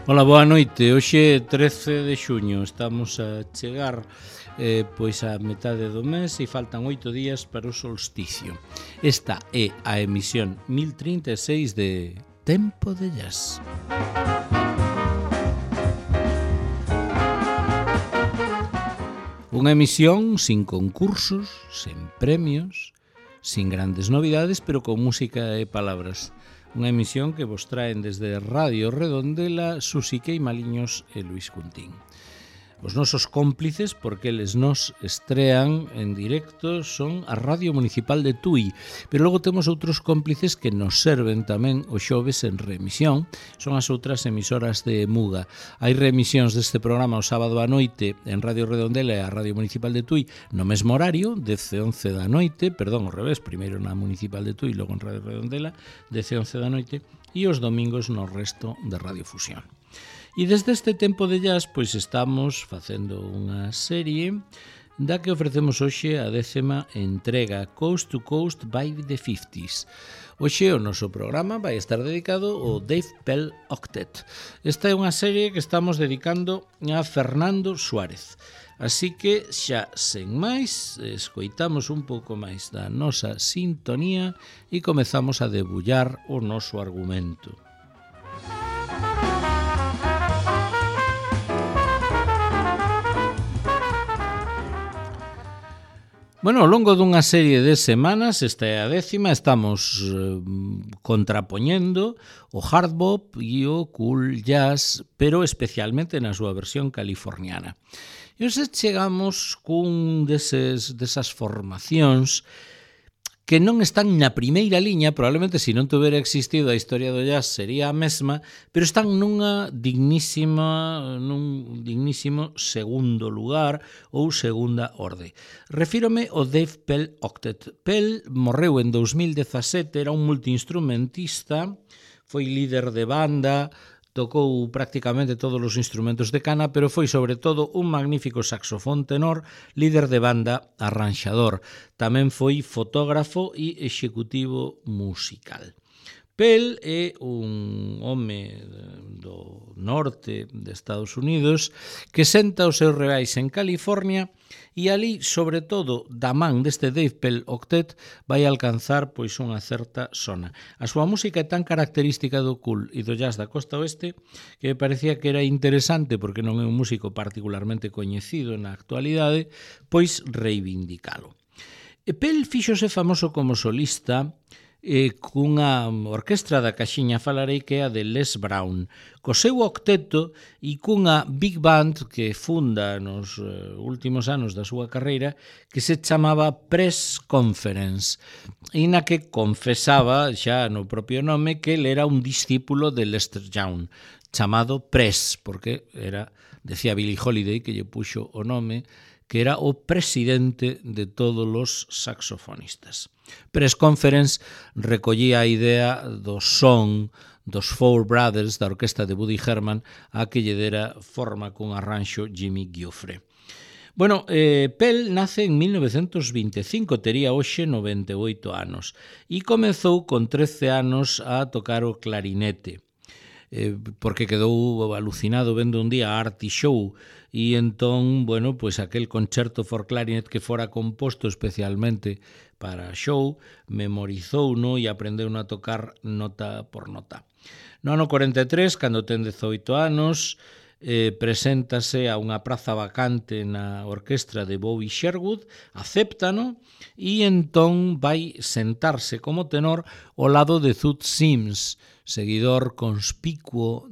Ola, boa noite. Hoxe é 13 de xuño, estamos a chegar pois a metade do mes e faltan 8 días para o solsticio. Esta é a emisión 1036 de Tempo de Jazz. Unha emisión sin concursos, sen premios, sin grandes novidades, pero con música e palabras. Unha emisión que vos traen desde Radio Redondela, Susi Queimaliños e Luis Cuntín. Os nosos cómplices, porque eles nos estrean en directo, son a Radio Municipal de Tui, pero logo temos outros cómplices que nos serven tamén os xoves en reemisión, son as outras emisoras de Muga. Hai reemisións deste programa o sábado á noite en Radio Redondela e a Radio Municipal de Tui no mesmo horario, 10:11 da noite, perdón, ao revés, primeiro na Municipal de Tui, logo en Radio Redondela, 10:11 da noite, e os domingos no resto de Radio Fusión. E desde este Tempo de Jazz, pois estamos facendo unha serie da que ofrecemos hoxe a 10ª entrega, Coast to Coast by the 50s. Hoxe o noso programa vai estar dedicado ao Dave Pell Octet. Esta é unha serie que estamos dedicando a Fernando Suárez. Así que xa sen máis, escoitamos un pouco máis da nosa sintonía e comezamos a debullar o noso argumento. Bueno, ao longo dunha serie de semanas, esta é a 10ª, estamos contrapoñendo o hard bop e o cool jazz, pero especialmente na súa versión californiana. E hoxe chegamos cun desas formacións que non están na primeira liña, probablemente se non tivera existido a historia do jazz sería a mesma, pero están nun dignísimo segundo lugar ou segunda orde. Refírome ao Dave Pell Octet. Pell morreu en 2017, era un multiinstrumentista, foi líder de banda, tocou prácticamente todos os instrumentos de cana, pero foi sobre todo un magnífico saxofón tenor, líder de banda, arranxador. Tamén foi fotógrafo e executivo musical. Pell é un home do norte de Estados Unidos que senta os seus reais en California e ali, sobre todo, da man deste Dave Pell Octet, vai alcanzar pois unha certa sona. A súa música é tan característica do cool e do jazz da costa oeste que me parecía que era interesante, porque non é un músico particularmente coñecido na actualidade, pois reivindicalo. E Pell fíxose famoso como solista cunha orquestra da Caxiña falarei que é a de Les Brown, co seu octeto e cunha big band que funda nos últimos anos da súa carreira que se chamaba Press Conference e na que confesaba xa no propio nome que ele era un discípulo de Lester Young chamado Press, porque era, decía Billie Holiday que lle puxo o nome, que era o presidente de todos os saxofonistas. Press Conference recollía a idea do son dos Four Brothers da orquesta de Woody Herman a que lle dera forma cun arranxo Jimmy Giuffre. Bueno, Pell nace en 1925, tería hoxe 98 anos e comezou con 13 anos a tocar o clarinete. Porque quedou alucinado vendo un día a Artie Shaw e entón, bueno, pois aquel concerto for clarinet que fora composto especialmente para Shaw, memorizouno e aprendeu a tocar nota por nota. No ano 43, cando ten 18 anos, preséntase a unha praza vacante na orquestra de Bobby Sherwood, acéptano e entón vai sentarse como tenor ao lado de Zoot Sims, seguidor conspicuo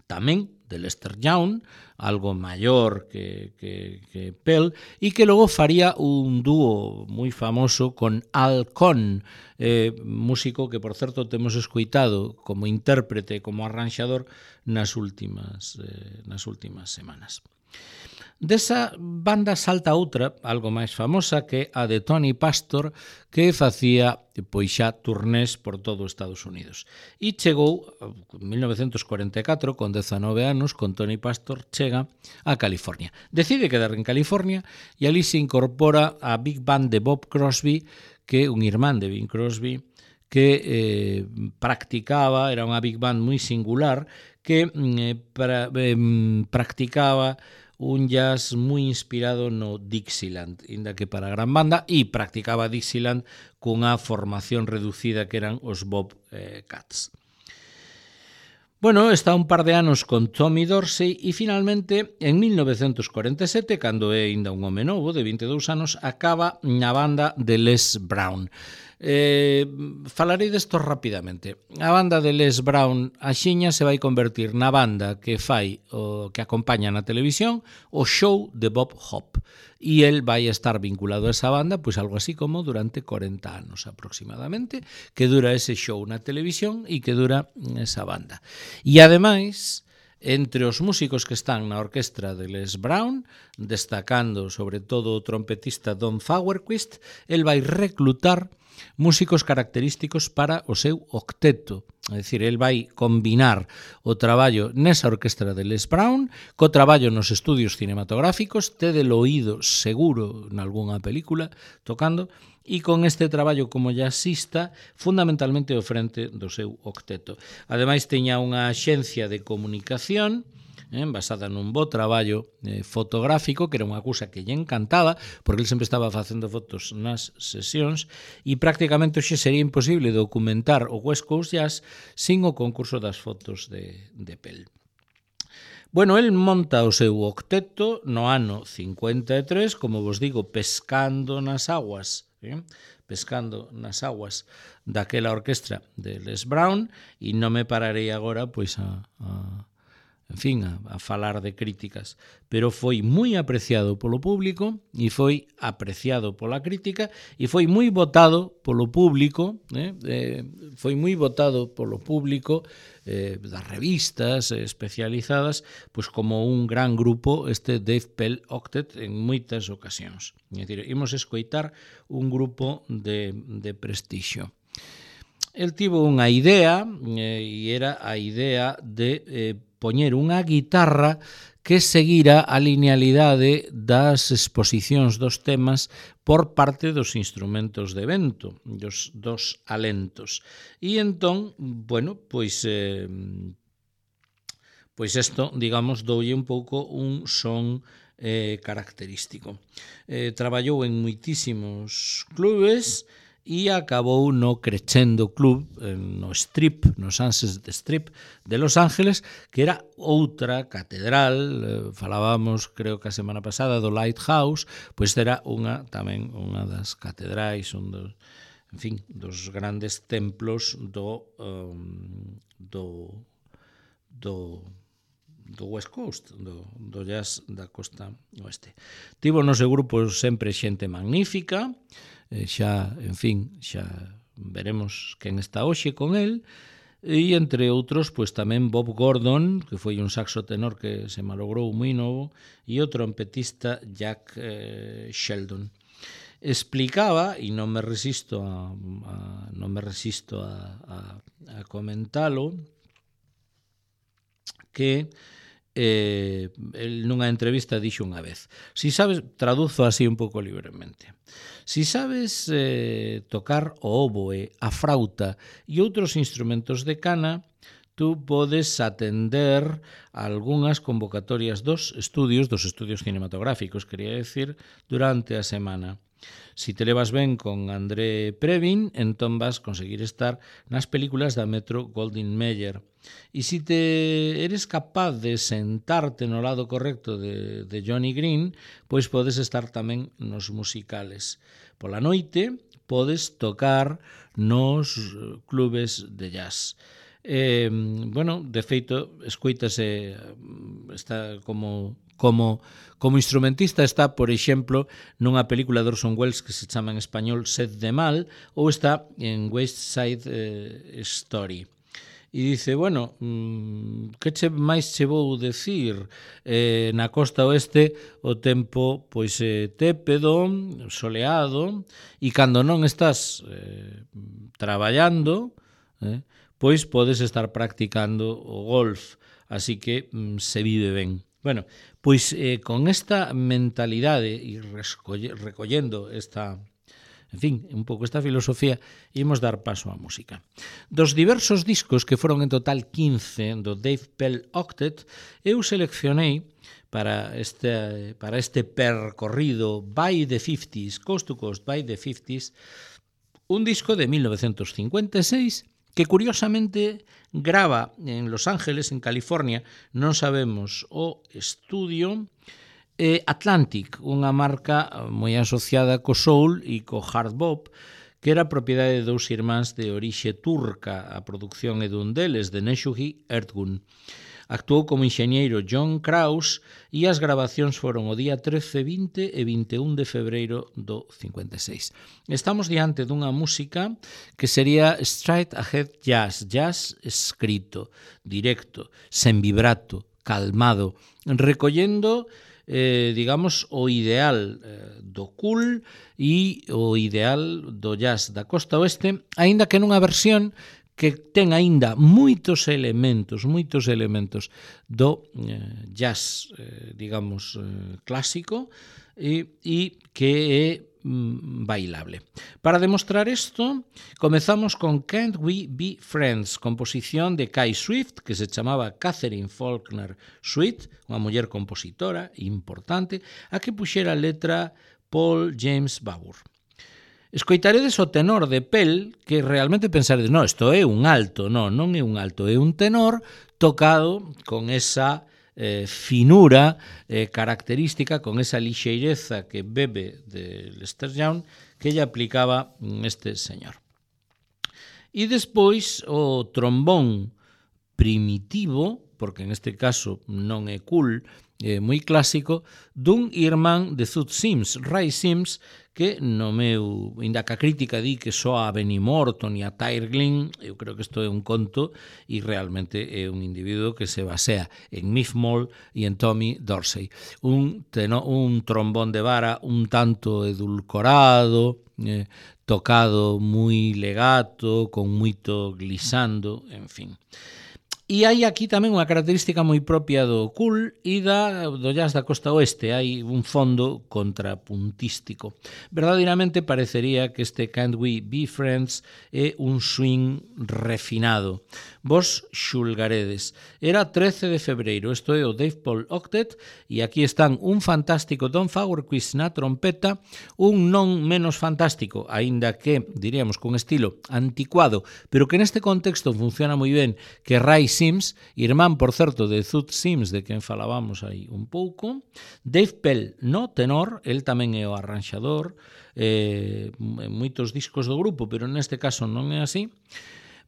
tamén de Lester Young, algo maior que Pell, e que logo faría un dúo moi famoso con Al Cohn, músico que, por certo, temos escoitado como intérprete, como arranxador nas últimas semanas. Desa banda salta outra, algo máis famosa, que a de Tony Pastor, que facía pois xa turnés por todo Estados Unidos. E chegou, en 1944, con 19 anos, con Tony Pastor, chega a California. Decide quedar en California e ali se incorpora a Big Band de Bob Crosby, que é un irmán de Bing Crosby, que practicaba, era unha big band moi singular, que practicaba un jazz moi inspirado no Dixieland, inda que para a gran banda, e practicaba Dixieland cunha formación reducida que eran os Bobcats. Bueno, está un par de anos con Tommy Dorsey e finalmente en 1947, cando é aínda un home novo de 22 anos, acaba na banda de Les Brown. Falarei desto rapidamente. A banda de Les Brown axiña se vai convertir na banda que fai o que acompaña na televisión o show de Bob Hope. E el vai estar vinculado a esa banda, pois algo así como durante 40 anos aproximadamente, que dura ese show na televisión e que dura esa banda. E ademais, entre os músicos que están na orquestra de Les Brown, destacando sobre todo o trompetista Don Fauerquist, el vai reclutar músicos característicos para o seu octeto. É dicir, el vai combinar o traballo nesa orquestra de Les Brown co traballo nos estudios cinematográficos, tede o oído seguro nalgúnha película tocando, e con este traballo como jazzista fundamentalmente ao frente do seu octeto. Ademais, teña unha axencia de comunicación basada nun bo traballo fotográfico, que era unha cousa que lle encantaba, porque ele sempre estaba facendo fotos nas sesións, e prácticamente hoxe sería imposible documentar o West Coast Jazz sin o concurso das fotos de Pell. Bueno, el monta o seu octeto no ano 53, como vos digo, pescando nas aguas daquela orquestra de Les Brown, e non me pararei agora pois a falar de críticas, pero foi moi apreciado polo público e foi apreciado pola crítica e foi moi votado polo público, das revistas especializadas, pois como un gran grupo este Dave Pell Octet en moitas ocasións. É dicir, imos escoitar un grupo de prestixio. El tivo unha idea, e era a idea de poñer unha guitarra que seguira a linealidade das exposicións dos temas por parte dos instrumentos de vento, dos alentos. E entón, bueno, pois isto, digamos, doulle un pouco un son característico. Traballou en moitísimos clubes e acabou no Crescendo Club, no Sunset Strip de Los Ángeles, que era outra catedral, falábamos, creo que a semana pasada, do Lighthouse, pois era tamén unha das catedrais, dos grandes templos do West Coast, do jazz da costa oeste. Tivo no seu grupo sempre xente magnífica, xa veremos quen está hoxe con el, e entre outros, pois tamén Bob Gordon, que foi un saxo tenor que se malogrou moi novo, e o trompetista Jack Sheldon. Explicaba, e non me resisto a comentalo, que el nunha entrevista dixo unha vez: si sabes, traduzo así un pouco libremente, si sabes tocar o oboe, a frauta e outros instrumentos de cana, tú podes atender a algunhas convocatorias dos estudios cinematográficos, quería decir, durante a semana. Si te levas ben con André Previn, entón vas conseguir estar nas películas da Metro Goldwyn Mayer. E se eres capaz de sentarte no lado correcto de Johnny Green, pois podes estar tamén nos musicales. Pola noite podes tocar nos clubes de jazz. De feito, escoítase, está como instrumentista, está, por exemplo, nunha película de Orson Welles que se chama en español Sed de Mal, ou está en West Side Story. E dice, bueno, que máis che vou decir? Na costa oeste o tempo pois tépedo, soleado, e cando non estás traballando, pois podes estar practicando o golf, así que se vive ben. Bueno, pois con esta mentalidade e recollendo esta En fin, un pouco esta filosofía, imos dar paso á música. Dos diversos discos que foron en total 15 do Dave Pell Octet, eu seleccionei para este percorrido by the 50s, coast to coast by the 50s, un disco de 1956 que curiosamente grava en Los Ángeles, en California, non sabemos o estudio, Atlantic, unha marca moi asociada co soul e co hard bop, que era propiedade de dous irmáns de orixe turca. A produción é dun deles, de Neşuhi Ertgun. Actuou como enxeñeiro John Krause e as grabacións foron o día 13, 20 e 21 de febreiro do 56. Estamos diante dunha música que sería straight ahead jazz, jazz escrito, directo, sen vibrato, calmado, recollendo digamos, o ideal do cool e o ideal do jazz da costa oeste, aínda que nunha versión que ten aínda moitos elementos do jazz, digamos, clásico e que é bailable. Para demostrar isto, comezamos con Can't We Be Friends, composición de Kai Swift, que se chamaba Catherine Faulkner Swift, unha muller compositora importante, a que puxera a letra Paul James Barbour. Escoitaredes o tenor de Pell, que realmente pensaredes, no, isto é un alto, non é un alto, é un tenor tocado con esa finura característica, con esa lixeireza que bebe de Lester Young, que lle aplicaba este señor. E despois o trombón primitivo, porque en este caso non é cool, moi clásico, dun irmán de Zoot Sims, Ray Sims, que no meu, inda que a crítica di que soa a Benny Morton e a Tyre Glynn, eu creo que isto é un conto e realmente é un individuo que se basea en Miff Moll e en Tommy Dorsey. Un trombón de vara un tanto edulcorado, tocado moi legato, con moito glissando, en fin. E hai aquí tamén unha característica moi propia do cool e do jazz da costa oeste. Hai un fondo contrapuntístico. Verdadeiramente parecería que este Can't We Be Friends é un swing refinado. Vos xulgaredes. Era 13 de febreiro, isto é o Dave Pell Octet, e aquí están un fantástico Don Fagerquist na trompeta, un non menos fantástico, aínda que, diríamos, con estilo anticuado, pero que neste contexto funciona moi ben, que Ray Sims, irmán, por certo, de Zoot Sims, de quen falábamos aí un pouco. Dave Pell no tenor, el tamén é o arranxador, en moitos discos do grupo, pero neste caso non é así.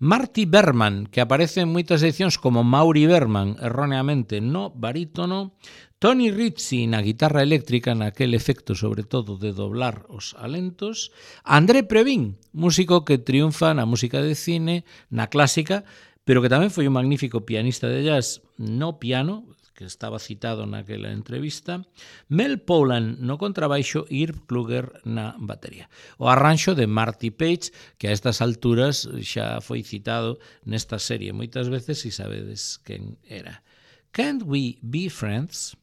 Marty Berman, que aparece en moitas edicións como Maury Berman, erróneamente no barítono. Tony Ritchie na guitarra eléctrica, naquel efecto sobre todo de doblar os alentos. André Previn, músico que triunfa na música de cine, na clásica, pero que tamén foi un magnífico pianista de jazz no piano, que estaba citado naquela entrevista. Mel Polan no contrabaixo e Irv Kluger na batería. O arranxo de Marty Page, que a estas alturas xa foi citado nesta serie moitas veces e sabedes quen era. Can't We Be Friends?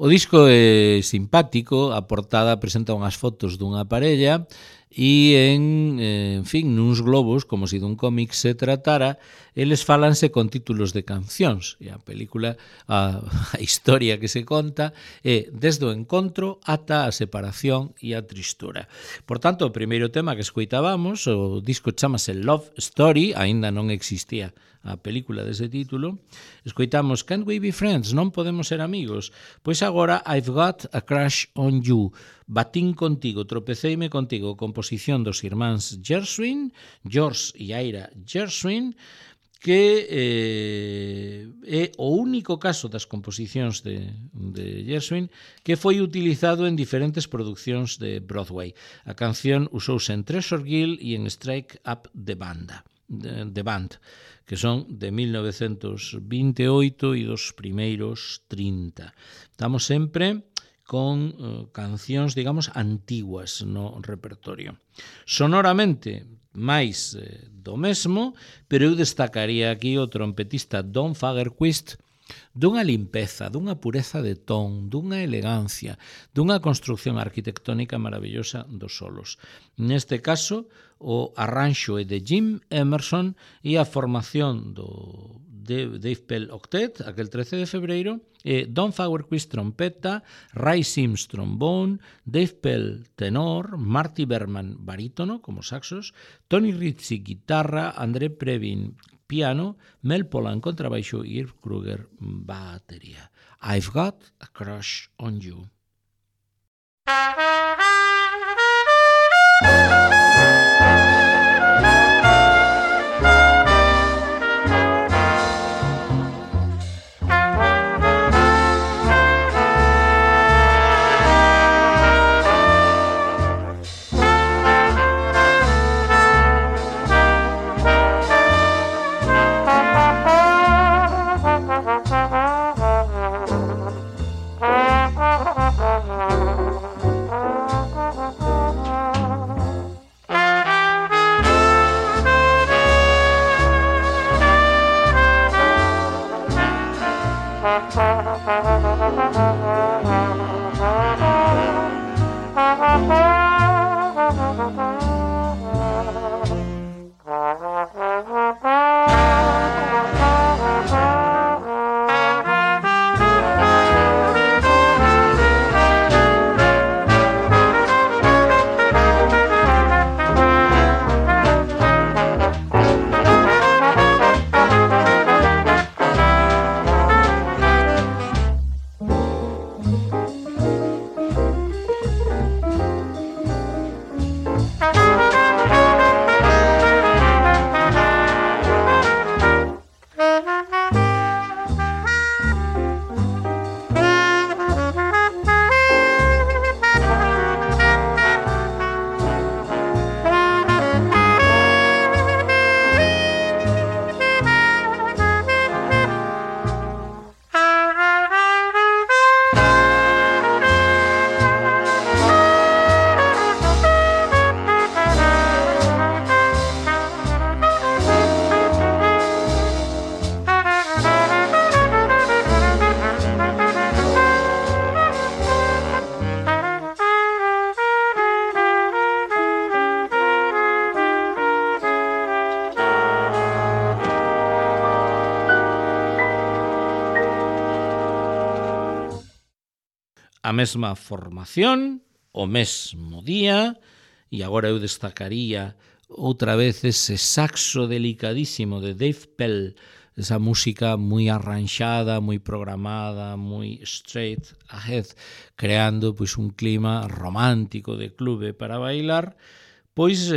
O disco é simpático, a portada presenta unhas fotos dunha parella e en fin, nuns globos, como se dun cómic se tratara, eles falanse con títulos de cancións. E a película, a historia que se conta é desde o encontro ata a separación e a tristura. Por tanto, o primeiro tema que escoitábamos, o disco chamase Love Story, aínda non existía a película dese título, escoitamos Can't We Be Friends? Non podemos ser amigos? Pois agora I've Got a Crush on You. Batín contigo, tropeceime contigo, composición dos irmáns Gershwin, George e Ira Gershwin, que é o único caso das composicións de Gershwin que foi utilizado en diferentes producións de Broadway. A canción usouse en Treasure Girl e en Strike Up the Band, que son de 1928 e dos primeiros 30. Estamos sempre con cancións, digamos, antiguas no repertorio. Sonoramente, máis do mesmo, pero eu destacaría aquí o trompetista Don Fagerquist, dunha limpeza, dunha pureza de ton, dunha elegancia, dunha construcción arquitectónica maravillosa dos solos. Neste caso, o arranxo é de Jim Emerson e a formación do Dave Pell Octet, aquel 13 de febreiro, Don Fagerquist trompeta, Ray Sims trombón, Dave Pell tenor, Marty Berman barítono como saxos, Tony Ritchie guitarra, André Previn piano, Mel Polan contrabaixo e Irv Kruger batería. I've Got a Crush on You. A mesma formación, o mesmo día, e agora eu destacaría outra vez ese saxo delicadísimo de Dave Pell, esa música moi arranxada, moi programada, moi straight ahead, creando pois un clima romántico de clube para bailar, pois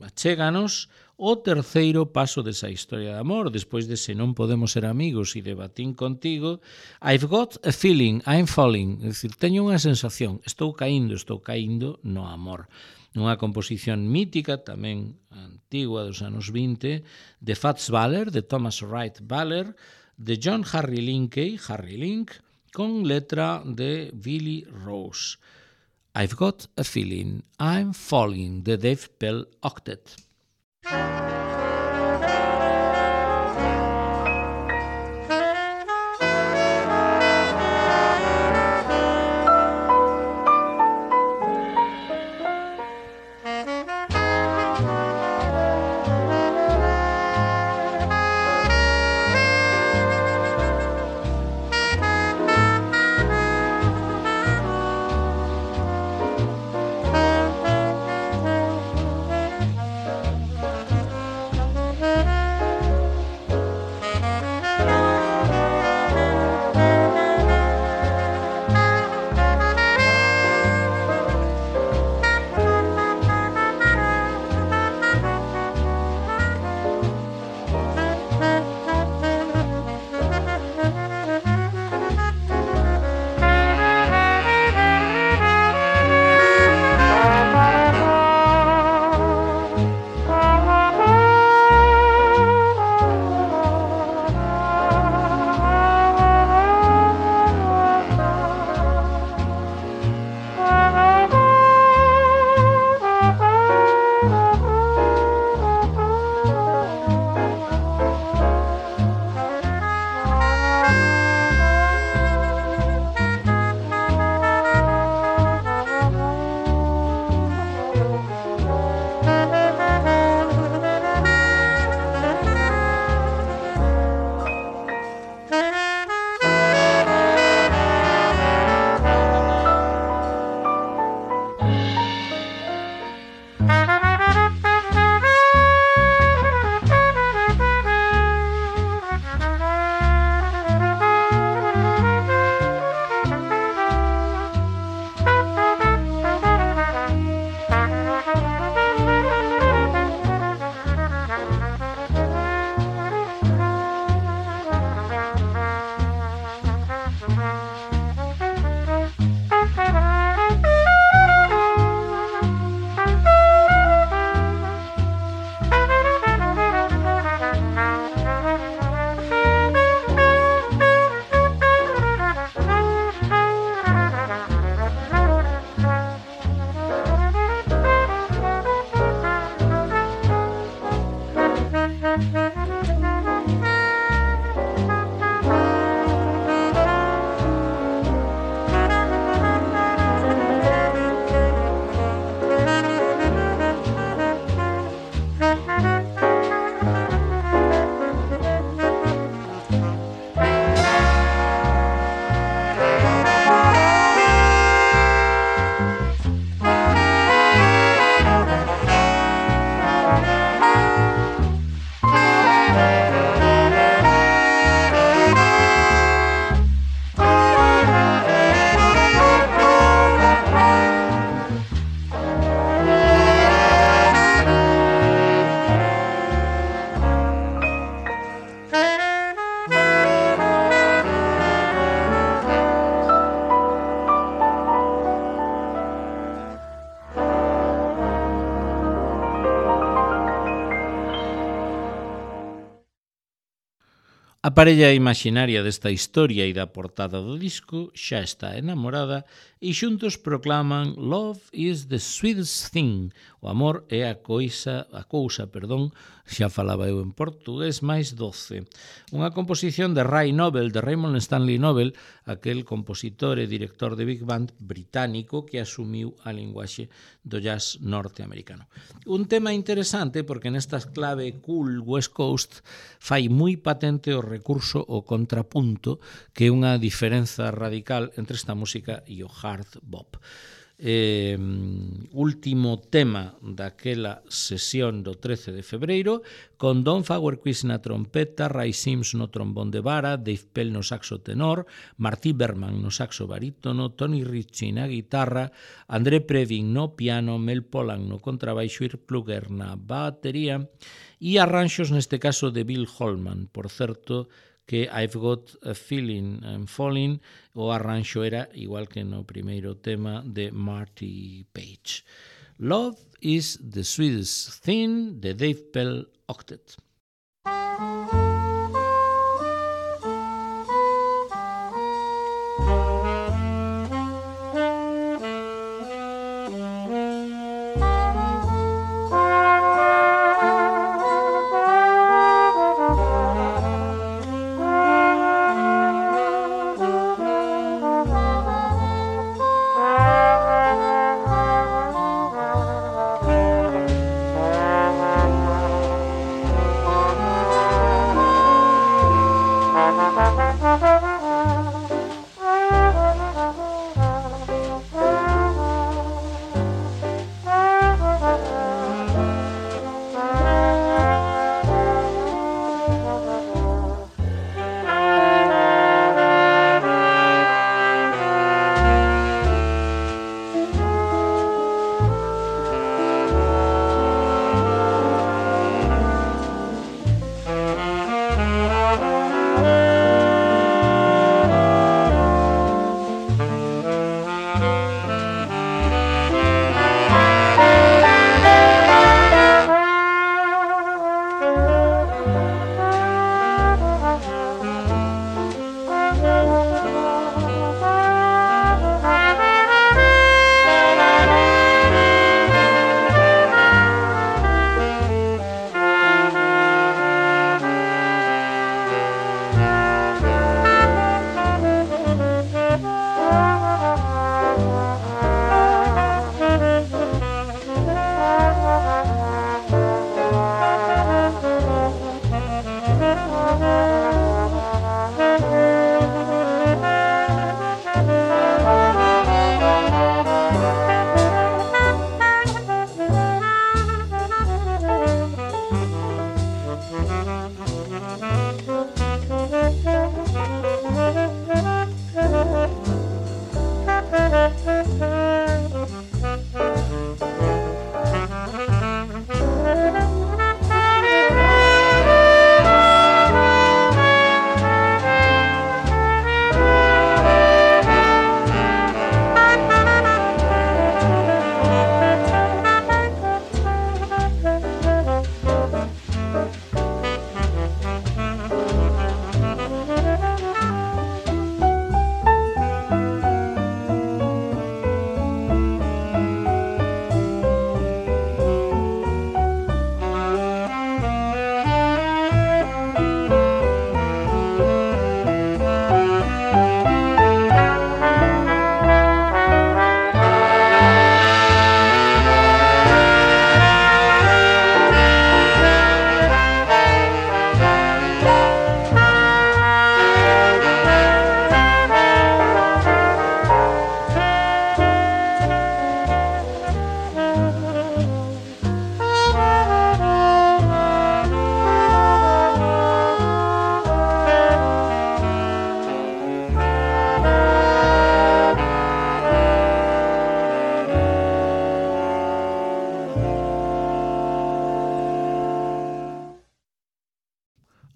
achéganos o terceiro paso desa historia de amor, despois de Se non podemos ser amigos e de Batín contigo, I've got a feeling, I'm falling, é dicir, teño unha sensación, estou caíndo no amor. Unha composición mítica, tamén antigua dos anos 20, de Fats Waller, de Thomas Wright Waller, de John Harry Linkey, Harry Link, con letra de Billy Rose. I've got a feeling, I'm falling, de Dave Pell Octet. A parella imaxinaria desta historia e da portada do disco xa está enamorada e xuntos proclaman Love is the sweetest thing. O amor é a cousa, xa falaba eu en portugués, máis doce. Unha composición de Ray Noble, de Raymond Stanley Noble, aquel compositor e director de Big Band británico que asumiu a linguaxe do jazz norteamericano. Un tema interesante porque nestas clave cool West Coast fai moi patente o recurso ao contrapunto, que é unha diferenza radical entre esta música e o hard bop. Último tema daquela sesión do 13 de febreiro, con Don Fagerquist na trompeta, Ray Sims no trombón de vara, Dave Pell no saxo tenor, Marty Berman no saxo barítono, Tony Ritchie na guitarra, André Previn no piano, Mel Pollan no contrabaixo, Irv Kluger na batería e arranxos neste caso de Bill Holman. Por certo, que I've Got a Feeling I'm Falling, o arranxo era igual que no primeiro tema de Marty Page. Love is the Sweetest Thing, de Dave Pell Octet.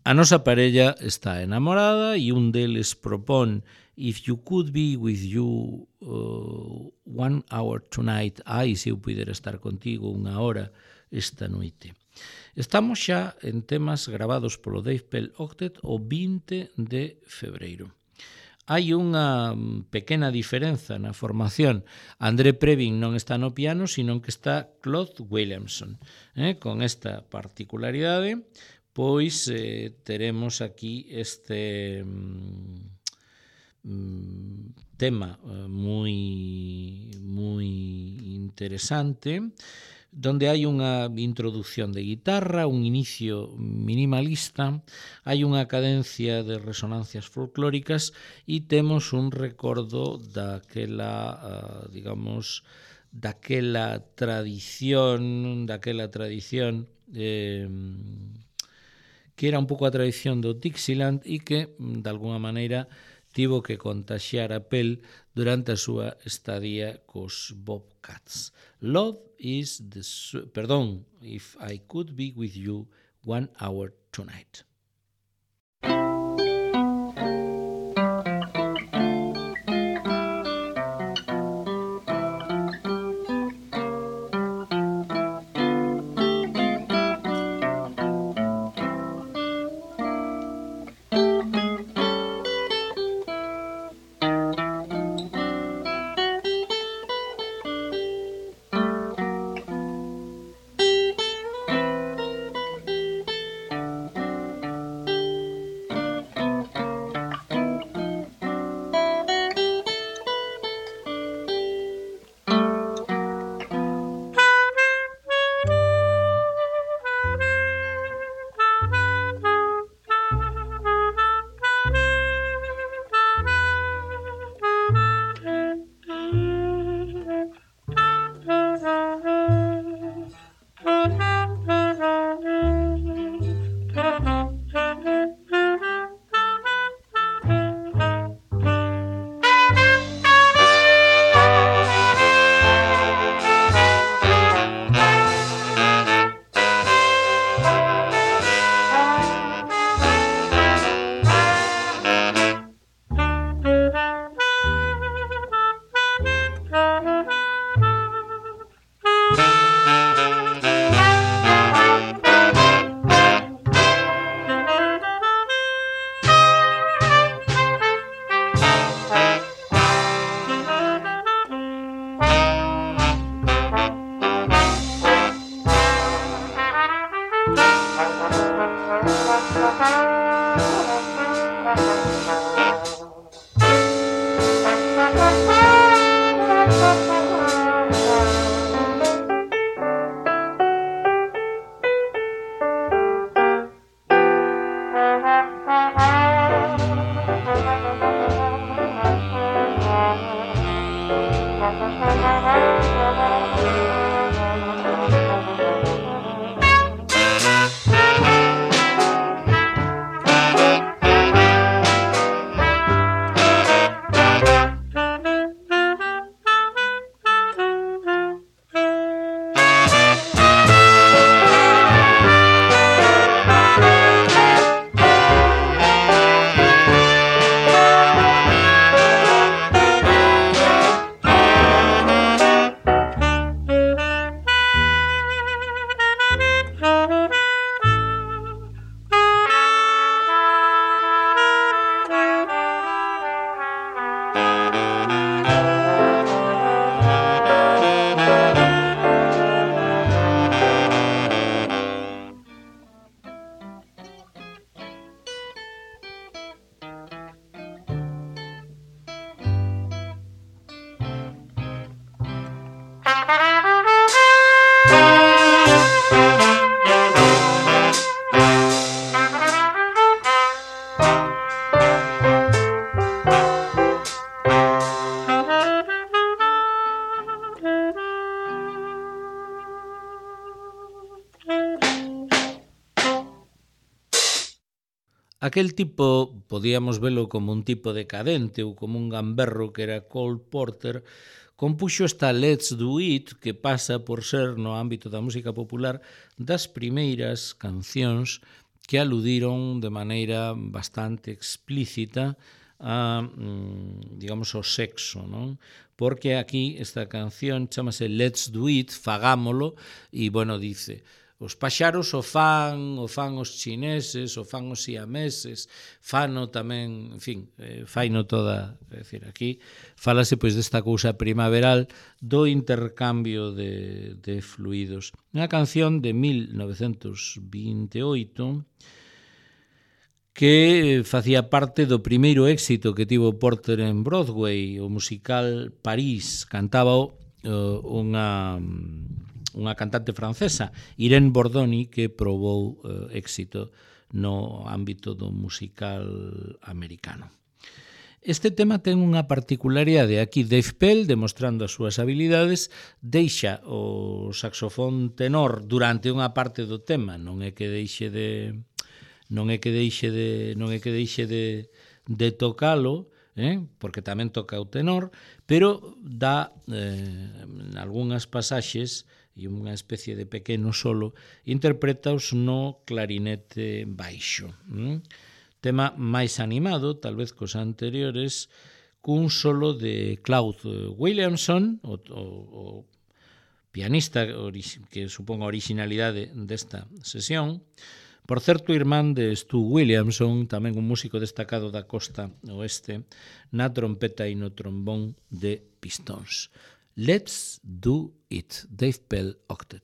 A nosa parella está enamorada e un deles propón If you could be with you 1 hour tonight, ai, se eu pudera estar contigo 1 hora esta noite. Estamos xa en temas gravados polo Dave Pell Octet o 20 de febreiro. Hai unha pequena diferenza na formación. André Previn non está no piano, sino que está Claude Williamson. Con esta particularidade, pois teremos aquí este tema moi interesante, donde hai unha introducción de guitarra, un inicio minimalista, hai unha cadencia de resonancias folclóricas e temos un recordo daquela, digamos, daquela tradición que era un pouco a tradición do Dixieland e que, de alguna maneira, tivo que contaxiar a Pell durante a súa estadía cos Bobcats. Love is the... Perdón, If I Could Be With You 1 Hour Tonight. Aquel tipo, podíamos velo como un tipo decadente ou como un gamberro que era Cole Porter, compuxo esta Let's Do It, que pasa por ser, no ámbito da música popular, das primeiras cancións que aludiron de maneira bastante explícita a, digamos, ao sexo, non? Porque aquí esta canción chamase Let's Do It, fagámolo, e, bueno, dice... os paxaros o fan os chineses, o fan os siameses, fano tamén, en fin, faino toda, é dicir, aquí fálase pois desta cousa primaveral do intercambio de fluidos. Unha canción de 1928 que facía parte do primeiro éxito que tivo Porter en Broadway, o musical París. Cantábao unha cantante francesa, Irene Bordoni, que probou éxito no ámbito do musical americano. Este tema ten unha particularidade. Aquí Dave Pell, demostrando as súas habilidades, deixa o saxofón tenor durante unha parte do tema, non é que deixe de tocalo, porque tamén toca o tenor, pero dá en algunhas pasaxes e unha especie de pequeno solo, interpretaos no clarinete baixo. Tema máis animado, tal vez cos anteriores, cun solo de Claude Williamson, o pianista que supón a originalidade desta sesión. Por certo, irmán de Stu Williamson, tamén un músico destacado da costa oeste, na trompeta e no trombón de pistóns. Let's Do It, Dave Pell Octet.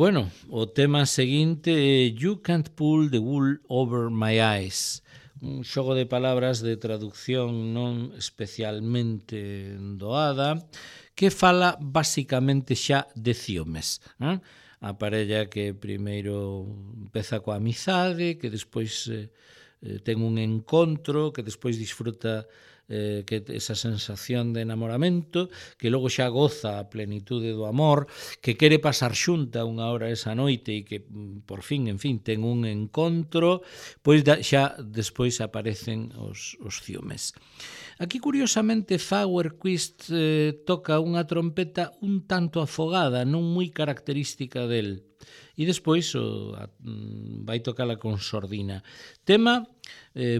Bueno, o tema seguinte é You Can't Pull the Wool Over My Eyes, un xogo de palabras de traducción non especialmente doada, que fala basicamente xa de ciúmes. A parella que primeiro empeza coa amizade, que despois ten un encontro, que despois disfruta que esa sensación de enamoramento, que logo xa goza a plenitude do amor, que quere pasar xunta unha hora esa noite e que por fin, en fin, ten un encontro, pois xa despois aparecen os ciúmes. Aquí, curiosamente, Fauerquist toca unha trompeta un tanto afogada, non moi característica del. E despois vai tocala con sordina. Tema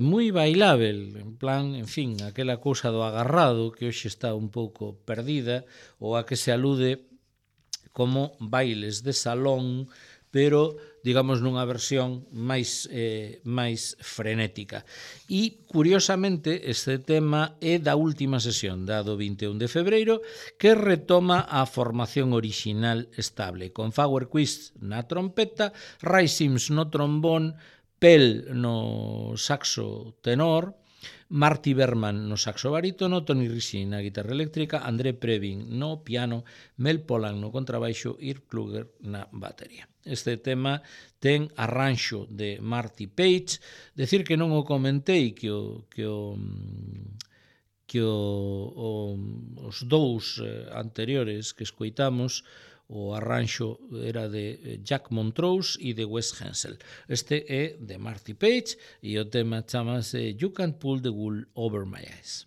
moi bailável, en plan, en fin, aquela cousa do agarrado que hoxe está un pouco perdida, ou a que se alude como bailes de salón, pero, digamos, nunha versión máis frenética. E, curiosamente, este tema é da última sesión, da do 21 de febreiro, que retoma a formación orixinal estable, con Fauerquist na trompeta, Ray Sims no trombón, Pell no saxo tenor, Marty Berman no saxo barítono, Tony Ricci na guitarra eléctrica, André Previn no piano, Mel Polan no contrabaixo e Irv Kluger na batería. Este tema ten arranxo de Marty Page. Decir que non o comentei, que os dous anteriores que escoitamos, o arranxo era de Jack Montrose e de Wes Hensel. Este é de Marty Page e o tema chamase You Can't Pull the Wool Over My Eyes.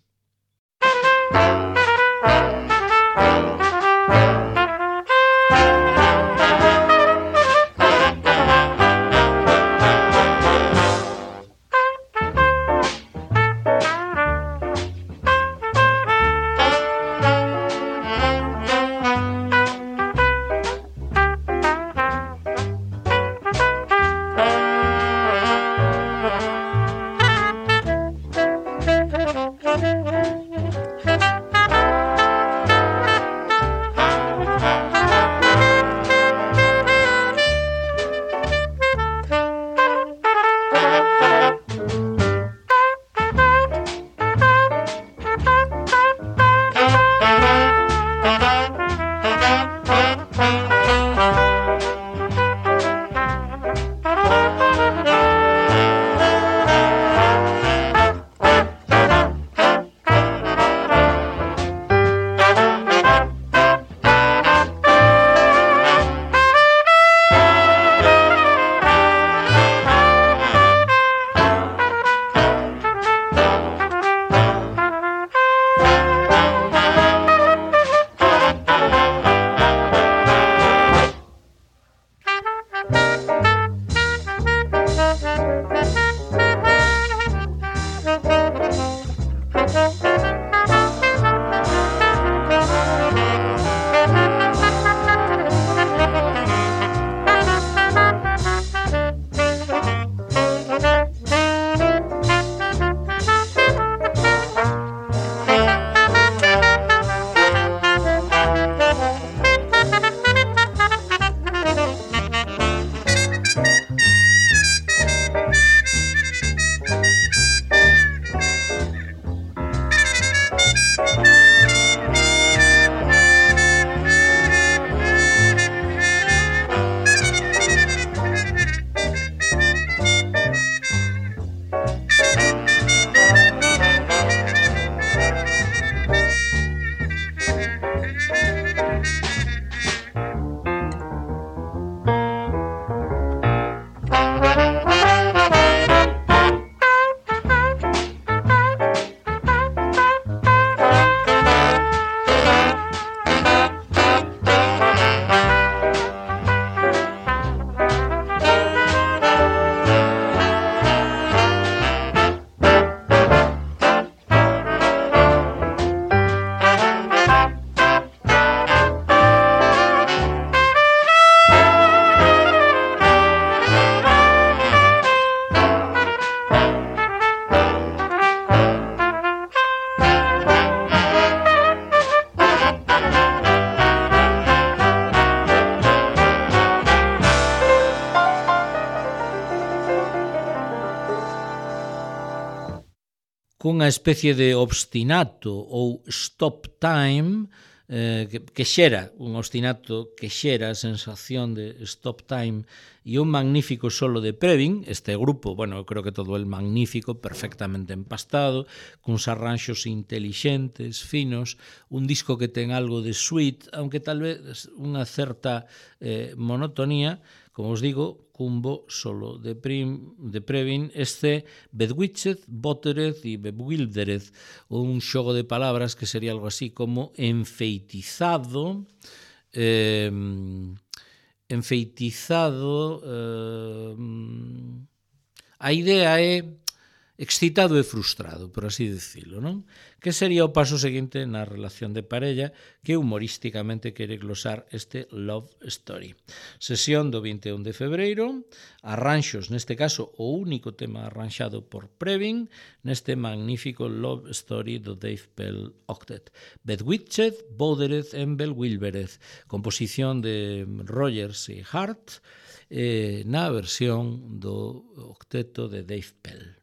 cunha especie de obstinato ou stop time que xera un ostinato, que xera a sensación de stop time e un magnífico solo de Previn. Este grupo, bueno, eu creo que todo el magnífico, perfectamente empastado, cuns arranxos intelixentes, finos, un disco que ten algo de sweet, aunque tal vez unha certa monotonía, como os digo, cun bo solo de Previn, este Bewitched, Bothered e Bewildered, un xogo de palabras que sería algo así como enfeitizado, a idea é excitado e frustrado, por así dicilo, non? Que sería o paso seguinte na relación de parella que humorísticamente quere glosar este Love Story. Sesión do 21 de febreiro, arranxos, neste caso, o único tema arranxado por Previn, neste magnífico Love Story do Dave Pell Octet. Bewitched, Bothered and Bewildered, composición de Rogers e Hart, na versión do octeto de Dave Pell.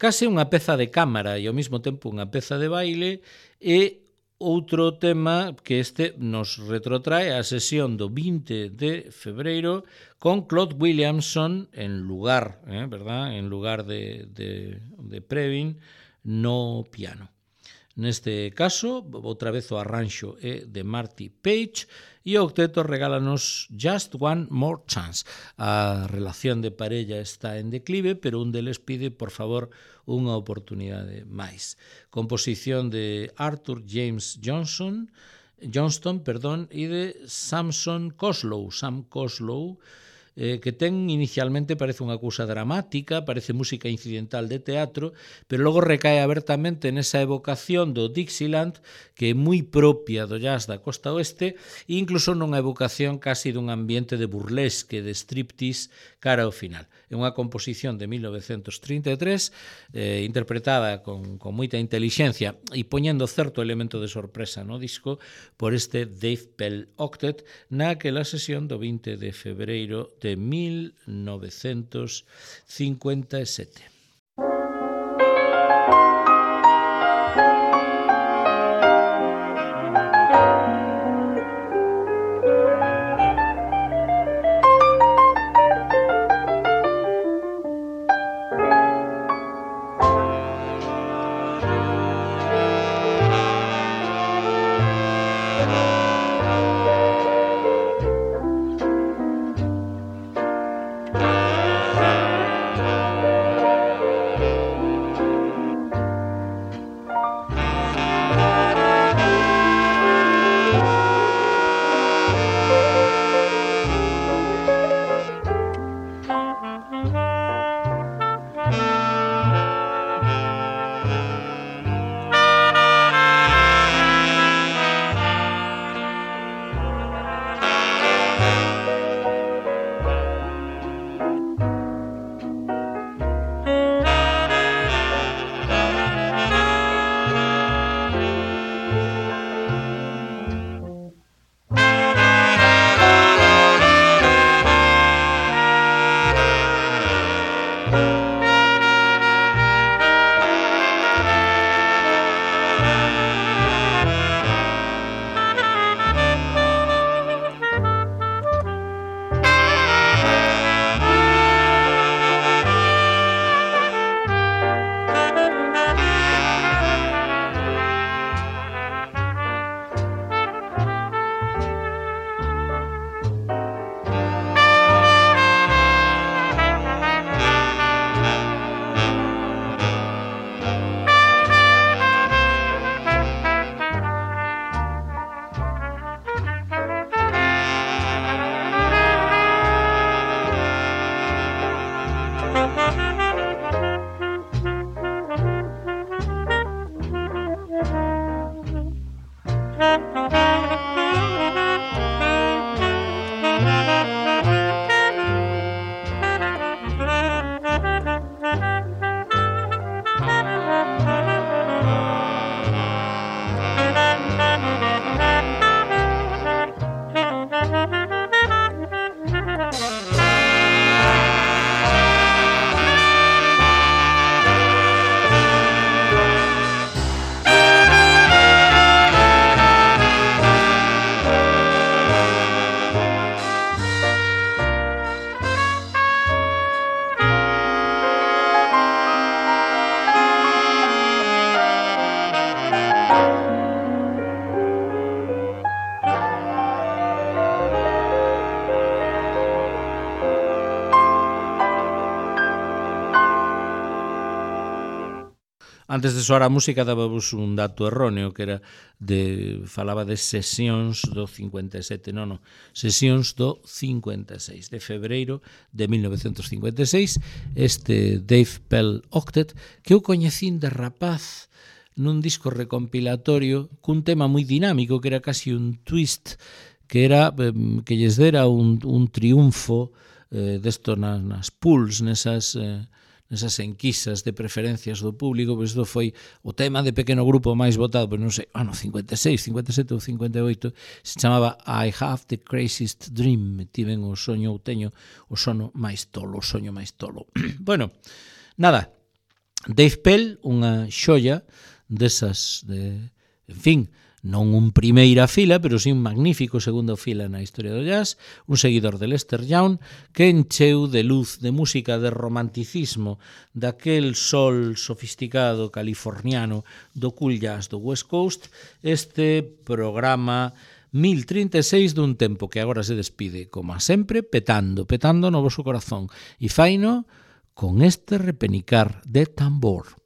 case unha peza de cámara e ao mesmo tempo unha peza de baile, e outro tema que este nos retrotrae a sesión do 20 de febreiro con Claude Williamson en lugar, verdad? En lugar de Previn no piano. Neste caso, outra vez o arranxo é de Marty Page e o octeto regálanos Just One More Chance. A relación de parella está en declive, pero un deles pide, por favor, unha oportunidade máis. Composición de Arthur James Johnston, e de Sam Coslow, que ten inicialmente parece unha cousa dramática, parece música incidental de teatro, pero logo recae abertamente nesa evocación do Dixieland que é moi propia do jazz da costa oeste e incluso nunha evocación casi dun ambiente de burlesque, de striptease cara ao final. É unha composición de 1933 interpretada con moita intelixencia e poñendo certo elemento de sorpresa no disco por este Dave Pell Octet naquela sesión do 20 de febreiro de 1957. Antes de soar a música dábamos un dato erróneo que era falaba de sesións do 57, sesións do 56 de febreiro de 1956, este Dave Pell Octet que eu coñecín de rapaz nun disco recompilatorio cun tema moi dinámico que era casi un twist que era que lles dera un triunfo desto nas pools, nesas enquisas de preferencias do público, pois isto foi o tema de pequeno grupo máis votado, pois non sei, 56, 57 ou 58, se chamaba I Have the Craziest Dream, tiven o soño, ou teño o soño máis tolo, Bueno, nada, Dave Pell, unha xoia desas en fin, non un primeira fila, pero sí un magnífico segundo fila na historia do jazz, un seguidor de Lester Young, que encheu de luz, de música, de romanticismo, daquel sol sofisticado californiano do cool jazz do West Coast, este programa 1036 dun tempo que agora se despide, como sempre, petando no voso corazón, e faino con este repenicar de tambor.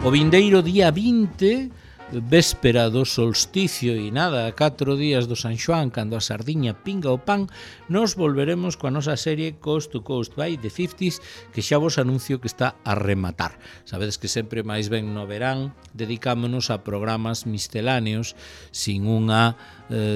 O vindeiro día 20, véspera do solsticio e nada, 4 días do San Xoán, cando a sardiña pinga o pan, nos volveremos coa nosa serie Coast to Coast by the 50s, que xa vos anuncio que está a rematar. Sabedes que sempre máis ben no verán dedicámonos a programas misceláneos sin unha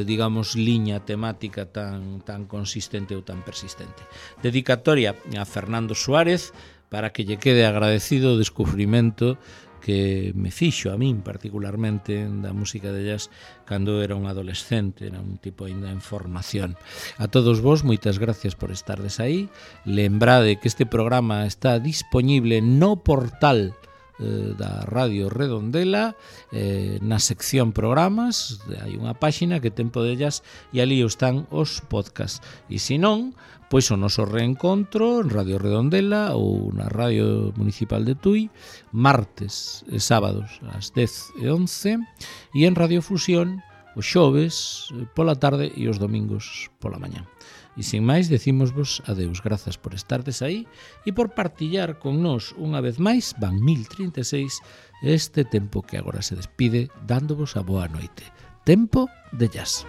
digamos, liña temática tan consistente ou tan persistente. Dedicatoria a Fernando Suárez para que lle quede agradecido o descubrimento que me fixo a min particularmente da música de jazz cando era un adolescente, era un tipo ainda en formación. A todos vos, moitas gracias por estardes aí. Lembrade que este programa está disponible no portal da Radio Redondela, na sección programas, hai unha páxina que ten Podellas e ali están os podcasts. E se non, pois o noso reencontro en Radio Redondela ou na Radio Municipal de Tui, martes e sábados ás 10 e 11, e en Radio Fusión os xoves pola tarde e os domingos pola mañá. E sin máis, decímosvos adeus. Grazas por estardes aí e por partillar con nós unha vez máis, van 1036, este tempo que agora se despide, dándovos a boa noite. Tempo de jazz.